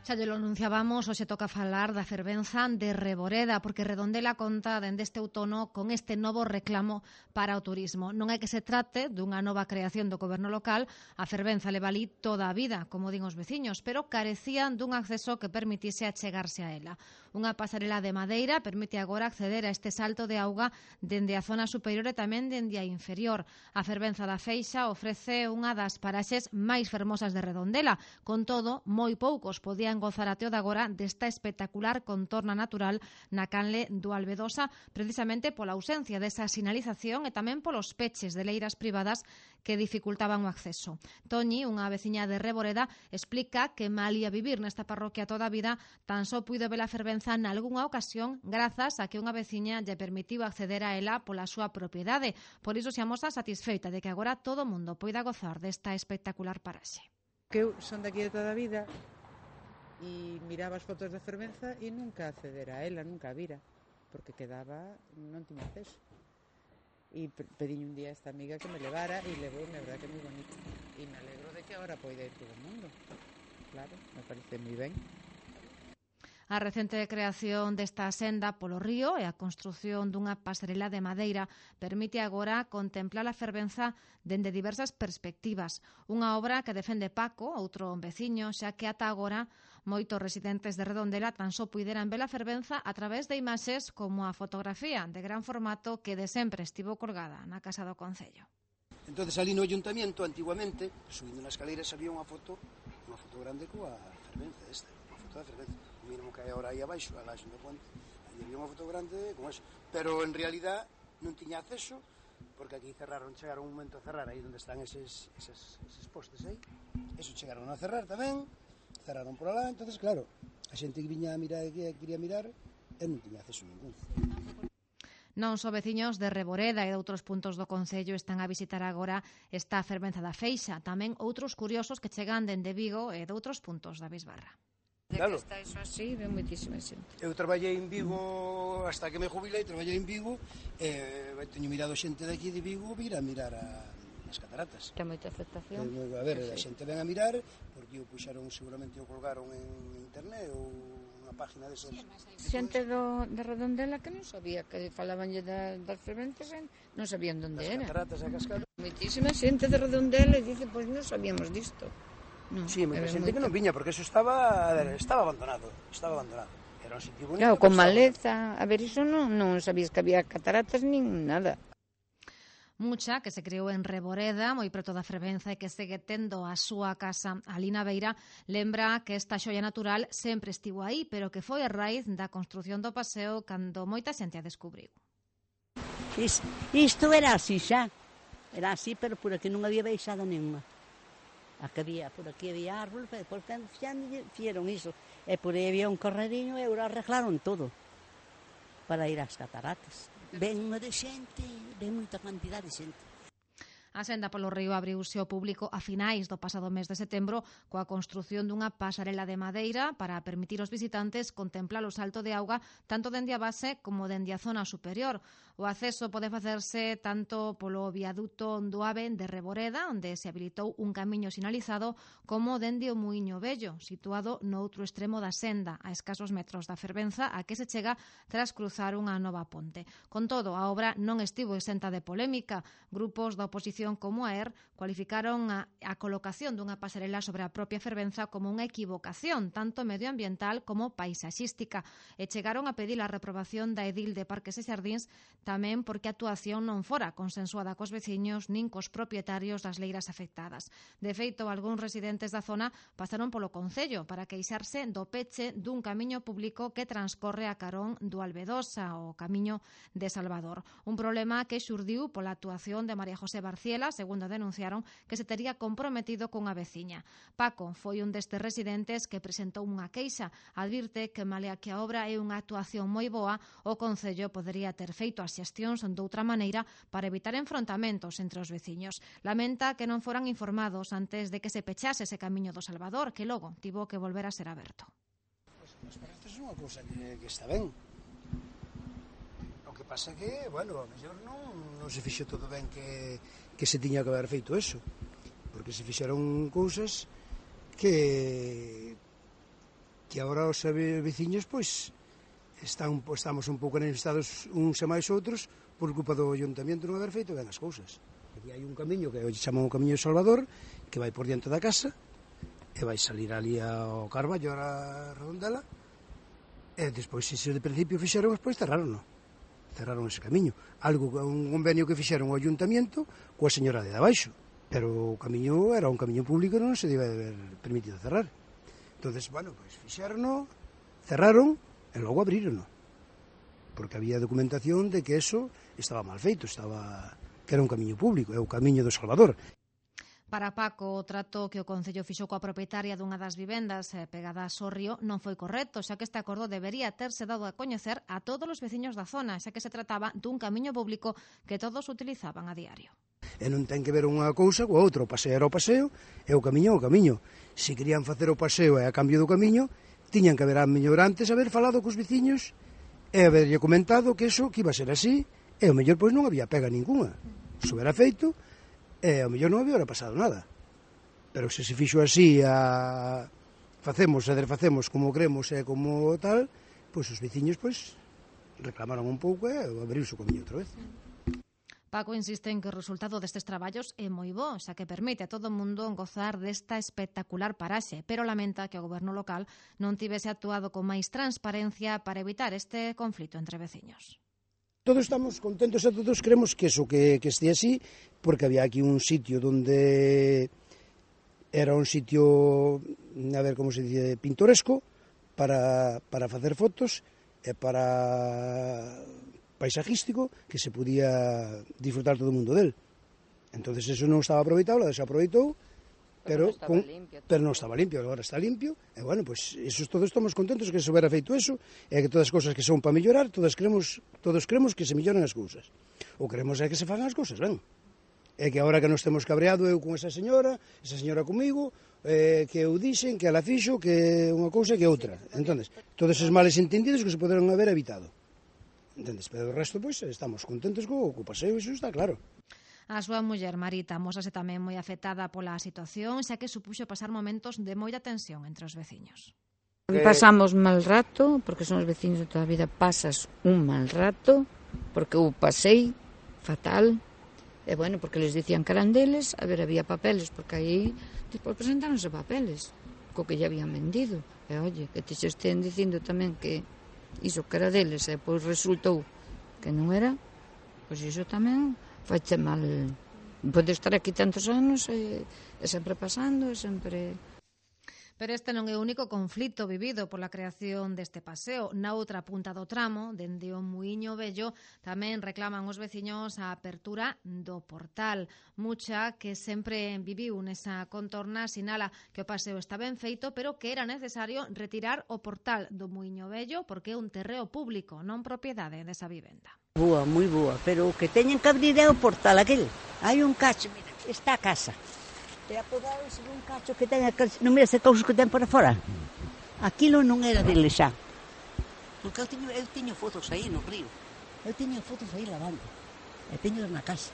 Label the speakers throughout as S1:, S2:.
S1: Xa lle lo anunciábamos, hoxe toca falar da fervenza de Reboreda, porque Redondela conta dende este outono con este novo reclamo para o turismo. Non é que se trate dunha nova creación do goberno local, a fervenza leva ali toda a vida, como din os veciños, pero carecían dun acceso que permitise achegarse a ela. Unha pasarela de madeira permite agora acceder a este salto de auga dende a zona superior e tamén dende a inferior. A fervenza da Feixa ofrece unha das paraxes máis fermosas de Redondela. Con todo, moi poucos podían gozar até o de agora desta espectacular contorna natural na canle do Albedosa, precisamente pola ausencia desa sinalización e tamén polos peches de leiras privadas que dificultaban o acceso. Toñi, unha veciña de Reboreda, explica que malía vivir nesta parroquia toda a vida, tan só puido ver a fervenza nalgunha ocasión grazas a que unha veciña lle permitiu acceder a ela pola súa propiedade. Por iso se amosa satisfeita de que agora todo o mundo poida gozar desta espectacular paraxe.
S2: Que eu son daqui de toda a vida e miraba as fotos da fervenza e nunca accedera a ela, nunca a vira, porque quedaba, non tiña acceso. E pediñe un día a esta amiga que me levara e levou, a verdad que é moi bonito. E me alegro de que agora poida ir todo o mundo. Claro, me parece moi ben.
S1: A recente creación desta senda polo río e a construción dunha pasarela de madeira permite agora contemplar a fervenza dende diversas perspectivas. Unha obra que defende Paco, outro veciño, xa que ata agora moitos residentes de Redondela tan só puideran ver a fervenza a través de imaxes como a fotografía de gran formato que de sempre estivo colgada na Casa do Concello.
S3: Entonces ali no Ayuntamiento, antiguamente, subindo nas escaleras había unha foto grande coa fervenza esta, unha foto da fervenza. O mínimo que hai agora aí abaixo, a laxe do ponte, aí había unha foto grande con eso. Pero en realidad non tiña acceso, porque aquí chegaron un momento a cerrar aí onde están eses postes aí. Eso chegaron a cerrar tamén, cerraron por alá, entonces claro, a xente que viña a mirar, que quería mirar, non tiña acceso ningún.
S1: Non só veciños de Reboreda e de outros puntos do Concello están a visitar agora esta fervenza da Feixa, tamén outros curiosos que chegan dende Vigo e de outros puntos da Bisbarra.
S2: Claro. Que está iso así, ven moitísima xente.
S3: Eu traballei en Vigo hasta que me jubilei, traballei en Vigo e teño mirado xente daqui de Vigo vir a mirar as cataratas.
S2: Que moita afectación.
S3: A ver, a xente ven a mirar porque o puxaron, seguramente o colgaron en internet ou unha página desas.
S2: Xente de Redondela que non sabía, que falabanlle das fervenzas, non sabían onde era.
S3: Das cataratas a cascada.
S2: Moitísima xente de Redondela e dice, pois non sabíamos disto.
S3: No, sí, moita xente que non viña, porque eso estaba abandonado. Era un sitio bonito.
S2: Claro, con maleza, a ver, iso non sabías que había cataratas nin nada.
S1: Mucha, que se criou en Reboreda, moi preto da fervenza e que segue tendo a súa casa ali na beira, lembra que esta xoia natural sempre estivo aí, pero que foi a raíz da construción do paseo cando moita xente a descubriu.
S4: Isto era así xa, era así, pero por aquí non había baixada nenhuma. Por aquí había árbol, depois xa fixeron iso. E por aí había un correriño e agora arreglaron todo para ir ás cataratas. Ven unha de xente, ven moita cantidad de xente.
S1: A senda polo río abriuse ao público a finais do pasado mes de setembro coa construción dunha pasarela de madeira para permitir aos visitantes contemplar o salto de auga tanto dende a base como dende a zona superior. O acceso pode facerse tanto polo viaduto do Ave de Reboreda, onde se habilitou un camiño sinalizado, como dende o Muiño Vello, situado no outro extremo da senda, a escasos metros da fervenza, a que se chega tras cruzar unha nova ponte. Con todo, a obra non estivo exenta de polémica. Grupos da oposición como a ERR cualificaron a colocación dunha pasarela sobre a propia fervenza como unha equivocación, tanto medioambiental como paisaxística, e chegaron a pedir a reprobación da edil de Parques e Xardíns tamén porque a actuación non fora consensuada cos veciños nin cos propietarios das leiras afectadas. De feito, algúns residentes da zona pasaron polo Concello para queixarse do peche dun camiño público que transcorre a carón do Albedosa, o camiño de Salvador. Un problema que xurdiu pola actuación de María José Barciela, segundo denunciaron, que se tería comprometido cunha veciña. Paco foi un destes residentes que presentou unha queixa. Advirte que, malea que a obra é unha actuación moi boa, o Concello podería ter feito as xestións doutra maneira para evitar enfrontamentos entre os veciños. Lamenta que non foran informados antes de que se pechase ese camiño do Salvador, que logo tivo que volver a ser aberto.
S3: Pois para isto é unha cousa que está ben. O que pasa que, bueno, a mellor non se fixo todo ben que se tiña que haber feito eso, porque se fixeron cousas que que agora os veciños, pois, estamos un pouco enemestados uns e máis outros por culpa do ayuntamiento non haber feito ben as cousas. Aquí hai un camiño que chamamos o Camiño de Salvador, que vai por diante da casa, e vai salir ali ao Carballo, a Redondela, e despois, se de principio fixeron, despois cerraron ese camiño. Un convenio que fixeron o ayuntamiento coa señora de abaixo, pero o camiño era un camiño público e non se debe haber permitido cerrar. Entonces, bueno, pois fixeron, cerraron, e logo abriron, porque había documentación de que eso estaba mal feito, que era un camiño público, é o Camiño do Salvador.
S1: Para Paco, o trato que o Concello fixo coa propietaria dunha das vivendas pegadas ao río non foi correcto, xa que este acordo debería terse dado a coñecer a todos os veciños da zona, xa que se trataba dun camiño público que todos utilizaban a diario.
S3: E non ten que ver unha cousa coa outra, o paseo era o paseo e o camiño é o camiño. Se querían facer o paseo e a cambio do camiño, tiñan que haber a mellor antes haber falado cos veciños e haberlle comentado que eso que iba a ser así, e o mellor pois non había pega ninguna. Se era feito, e o mellor non había pasado nada. Pero se fixo así, facemos e desfacemos como queremos e como tal, pois os veciños pois reclamaron un pouco e abriuse o camiño outra vez.
S1: Paco insiste en que o resultado destes traballos é moi bo, xa que permite a todo o mundo gozar desta espectacular paraxe, pero lamenta que o goberno local non tivese actuado con máis transparencia para evitar este conflito entre veciños.
S3: Todos estamos contentos e todos queremos que eso que estea así, porque había aquí un sitio donde era un sitio, a ver como se dice, pintoresco para facer fotos e para paisajístico que se podía disfrutar todo o mundo del. Entonces eso non estaba aproveitado, la desaproveitou, pero non estaba limpio, agora está limpio, e bueno, pues eso todos estamos contentos que se hubiera feito eso, e que todas as cousas que son para mellorar, todos queremos que se melloren as cousas. O queremos é que se fagan as cousas, ben? É que agora que nos temos cabreado eu con esa señora comigo, que eu dixen, que ela fixo, que unha cousa que outra. Entonces, todos esos males entendidos que se poderon haber evitado. Entendes? Pero o resto, pois, estamos contentos co paseo, iso está claro.
S1: A súa muller, Marita, mósase tamén moi afectada pola situación, xa que supuxo pasar momentos de moita tensión entre os veciños.
S5: Pasamos mal rato, porque son os veciños de toda a vida, pasas un mal rato, porque eu pasei fatal, e bueno, porque les dicían que eran deles, a ver, había papeles, porque aí despois presentáronse papeles, co que ya habían vendido, e oye, que te xe estén dicindo tamén que iso que era deles, e pois resultou que non era, pois iso tamén faiche mal. Pode estar aquí tantos anos e sempre pasando, e sempre...
S1: Pero este non é o único conflito vivido pola creación deste paseo. Na outra punta do tramo, dende o Muíño Vello, tamén reclaman os veciños a apertura do portal. Mucha, que sempre viviu nesa contorna, sinala que o paseo está ben feito, pero que era necesario retirar o portal do Muíño Vello porque é un terreo público, non propiedade desa vivenda.
S4: Boa, moi boa, pero o que teñen que abrir é o portal aquel. Hai un cacho, mira, está a casa. E apodaron-se dun cacho que ten aquel... Non mira ese cousos que ten por fora. Aquilo non era dele xa. Porque eu teño fotos aí no río. Eu teño fotos aí lavando. E teño na casa.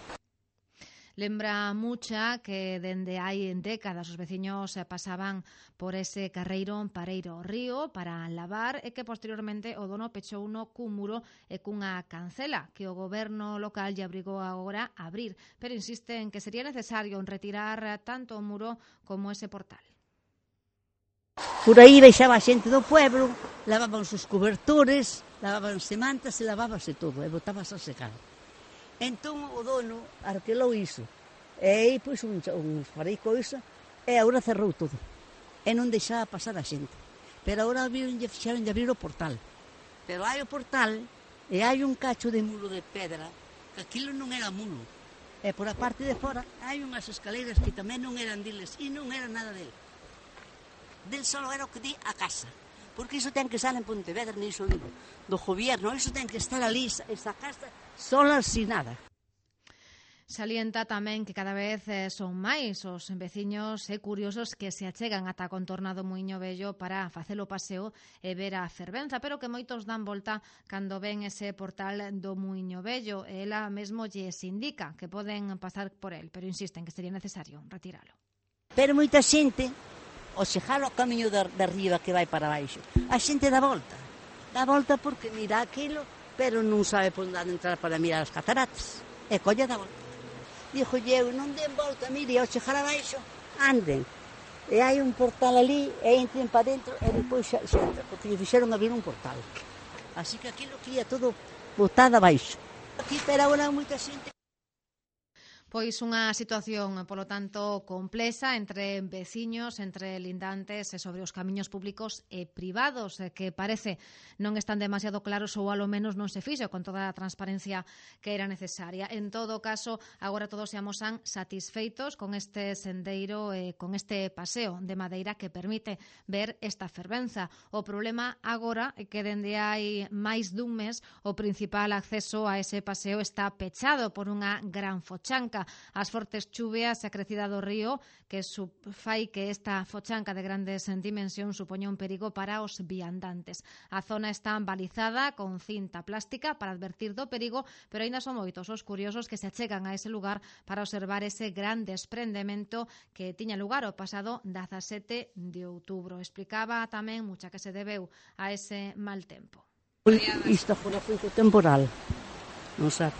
S1: Lembra Mucha que dende hai décadas os veciños pasaban por ese carreiro pareiro ao río para lavar e que posteriormente o dono pechou no cun muro e cunha cancela que o goberno local lle obrigou agora a abrir, pero insiste en que sería necesario retirar tanto o muro como ese portal.
S4: Por aí baixaba a xente do pueblo, lavaban os cobertores, lavabanse mantas e lavábase todo, e botábase a secar. Entón o dono arquelou iso, e aí pois uns farei coisa, e agora cerrou todo, e non deixaba pasar a xente. Pero agora fixeron de abrir o portal. Pero hai o portal, e hai un cacho de muro de pedra, que aquilo non era muro. E por a parte de fora hai unhas escaleiras que tamén non eran deles, e non era nada del. Del solo era o que di a casa. Porque iso ten que estar en Pontevedra, niso do gobierno, iso ten que estar ali, esa casa, sola sin nada.
S1: Salienta tamén que cada vez son máis os veciños e curiosos que se achegan ata a contorna do Muíño Vello para facer o paseo e ver a fervenza, pero que moitos dan volta cando ven ese portal do Muíño Vello. E ela mesmo lles indica que poden pasar por el, pero insisten que sería necesario retiralo.
S4: Pero moita xente ao chegar ao camiño de arriba que vai para baixo, a xente dá volta porque mira aquilo, pero non sabe por onde entrar para mirar as cataratas, e colla dá volta. Dixo eu, non den volta, mire, ao chegar abaixo, anden, e hai un portal ali, e entren para dentro, e depois xa entra, porque lle fixeron abrir un portal. Así que aquilo que ia todo botado abaixo. Aquí, pero agora moita xente.
S1: Pois unha situación, polo tanto, complexa entre veciños, entre lindantes e sobre os camiños públicos e privados, que parece non están demasiado claros ou alo menos non se fixo con toda a transparencia que era necesaria. En todo caso, agora todos se amosan satisfeitos con este sendeiro e con este paseo de madeira que permite ver esta fervenza. O problema agora é que dende hai máis dun mes o principal acceso a ese paseo está pechado por unha gran fochanca. As fortes chuvias e a crecida do río que fai que esta fochanca de grandes dimensións supoña un perigo para os viandantes. A zona está balizada con cinta plástica para advertir do perigo, pero aínda son moitos os curiosos que se achegan a ese lugar para observar ese gran desprendemento que tiña lugar o pasado 17 de outubro. Explicaba tamén mucha que se debeu a ese mal tempo.
S4: Isto foi temporal, non sabe.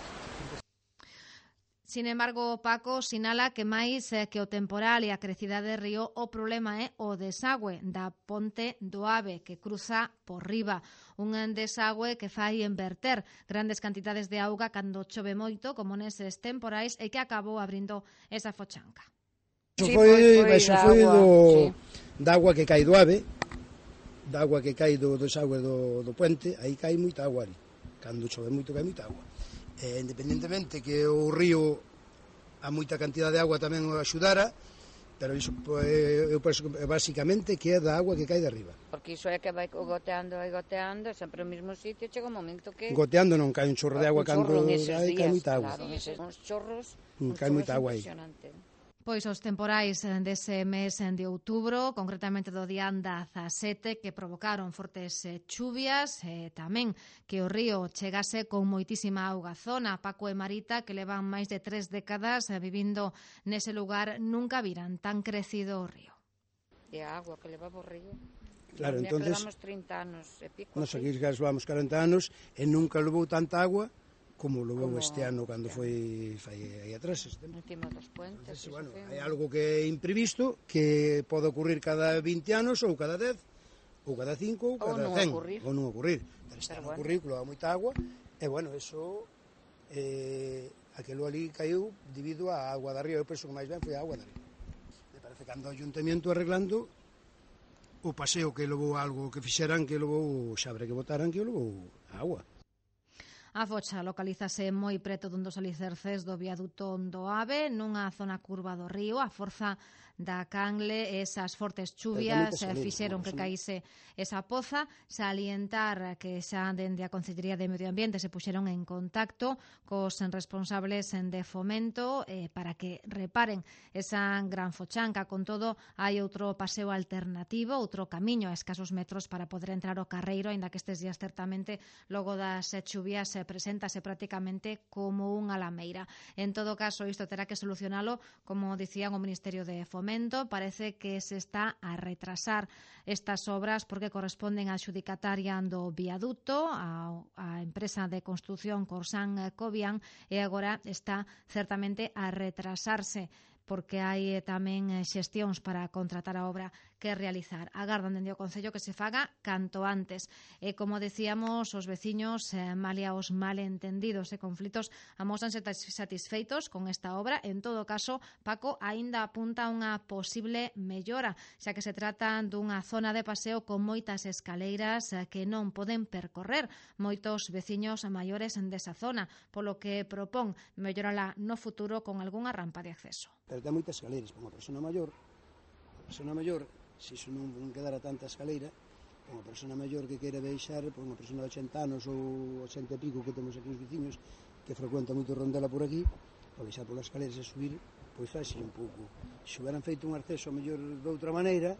S1: Sin embargo, Paco sinala que máis que o temporal e a crecida de río, o problema é o desagüe da ponte do Ave que cruza por riba. Un desagüe que fai enverter grandes cantidades de auga cando chove moito, como neses temporais, e que acabou abrindo esa fochanca.
S3: Iso foi da agua que cai do Ave, da agua que cai do desagüe do puente, aí cai moita agua ali. Cando chove moito cai moita agua. Independentemente que o río a moita cantidad de agua tamén o axudara, pero iso eu penso que basicamente que é da agua que cai de arriba.
S5: Porque iso é que vai goteando, sempre no mesmo sitio, chega un momento que...
S3: Goteando non cai un chorro de agua cando cai moita agua.
S5: Claro, uns chorros,
S3: cai moita agua aí.
S1: Pois os temporais dese mes de outubro, concretamente do día 17, que provocaron fortes chuvias, e tamén que o río chegase con moitísima auga. Zona, Paco e Marita, que levan máis de 3 décadas vivindo nese lugar, nunca viran tan crecido o río.
S5: E a agua que leva o río.
S3: Claro, entonces,
S5: levamos 30 anos e pico.
S3: Nos aquí levamos 40 anos e nunca levou tanta agua como levou este ano cando foi aí atrás.
S5: Encima dos puentes.
S3: Entonces, bueno, hai algo que é imprevisto, que pode ocurrir cada 20 anos, ou cada 10, ou cada 5, ou cada 100. Ou non ocurrir. Pero este ano ocurriu, que leva moita agua, e, bueno, eso, aquilo ali caiu debido á agua da río. Eu penso que máis ben foi a agua da río. Me parece que ando o ayuntamiento arreglando o paseo que levou algo que fixeran, que levou o xabre que botaran, que levou a agua.
S1: A focha localízase moi preto dun dos alicerces do viaduto do Ave, nunha zona curva do río. A forza da canle e esas fortes chuvias fixeron que caíse esa poza. Salientar que xa dende a Consellería de Medio Ambiente se puxeron en contacto cos responsables de Fomento para que reparen esa gran fochanca. Con todo, hai outro paseo alternativo, outro camiño a escasos metros para poder entrar ao Carreiro, aínda que estes días certamente logo das chuvias preséntase prácticamente como unha lameira. En todo caso, isto terá que solucionalo, como dicían o Ministerio de Fomento. Parece que se está a retrasar estas obras porque corresponden á adxudicataria do viaduto, a empresa de construción Corsan Cobian, e agora está certamente a retrasarse porque hai tamén xestións para contratar a obra que realizar. Agardan dende o Concello que se faga canto antes. E, como decíamos, os veciños, malia os malentendidos e conflitos, amósanse satisfeitos con esta obra. En todo caso, Paco aínda apunta unha posible mellora, xa que se trata dunha zona de paseo con moitas escaleiras que non poden percorrer moitos veciños maiores desa zona, polo que propón mellorala no futuro con algunha rampa de acceso.
S3: Pero ten moitas escaleiras, para unha persona maior, se iso non quedara tanta escaleira, para unha persona maior que queira baixar, para unha persona de 80 anos ou 80 e pico que temos aquí os veciños, que frecuenta moito rondela por aquí, para baixar polas escaleiras e subir, pois faixe un pouco. Se hubieran feito un acceso mellor de outra maneira.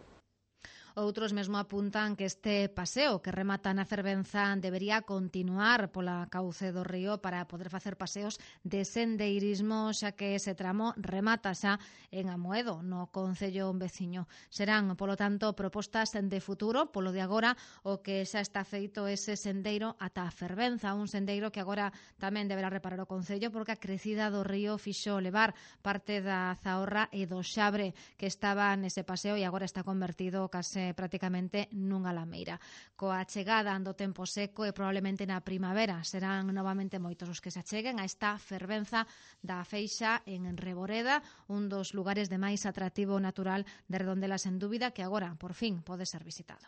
S1: Outros mesmo apuntan que este paseo que remata na Fervenza debería continuar pola cauce do río para poder facer paseos de sendeirismo, xa que ese tramo remata xa en Amoedo, no concello veciño. Serán, polo tanto, propostas de futuro, polo de agora, o que xa está feito ese sendeiro ata a Fervenza, un sendeiro que agora tamén deberá reparar o concello porque a crecida do río fixo levar parte da Zahorra e do Xabre que estaba nese paseo e agora está convertido case prácticamente nunha lameira. Coa chegada do tempo seco e probablemente na primavera serán novamente moitos os que se acheguen a esta Fervenza da Feixa en Reboreda, un dos lugares de máis atractivo natural de Redondela sen dúbida que agora, por fin, pode ser visitado.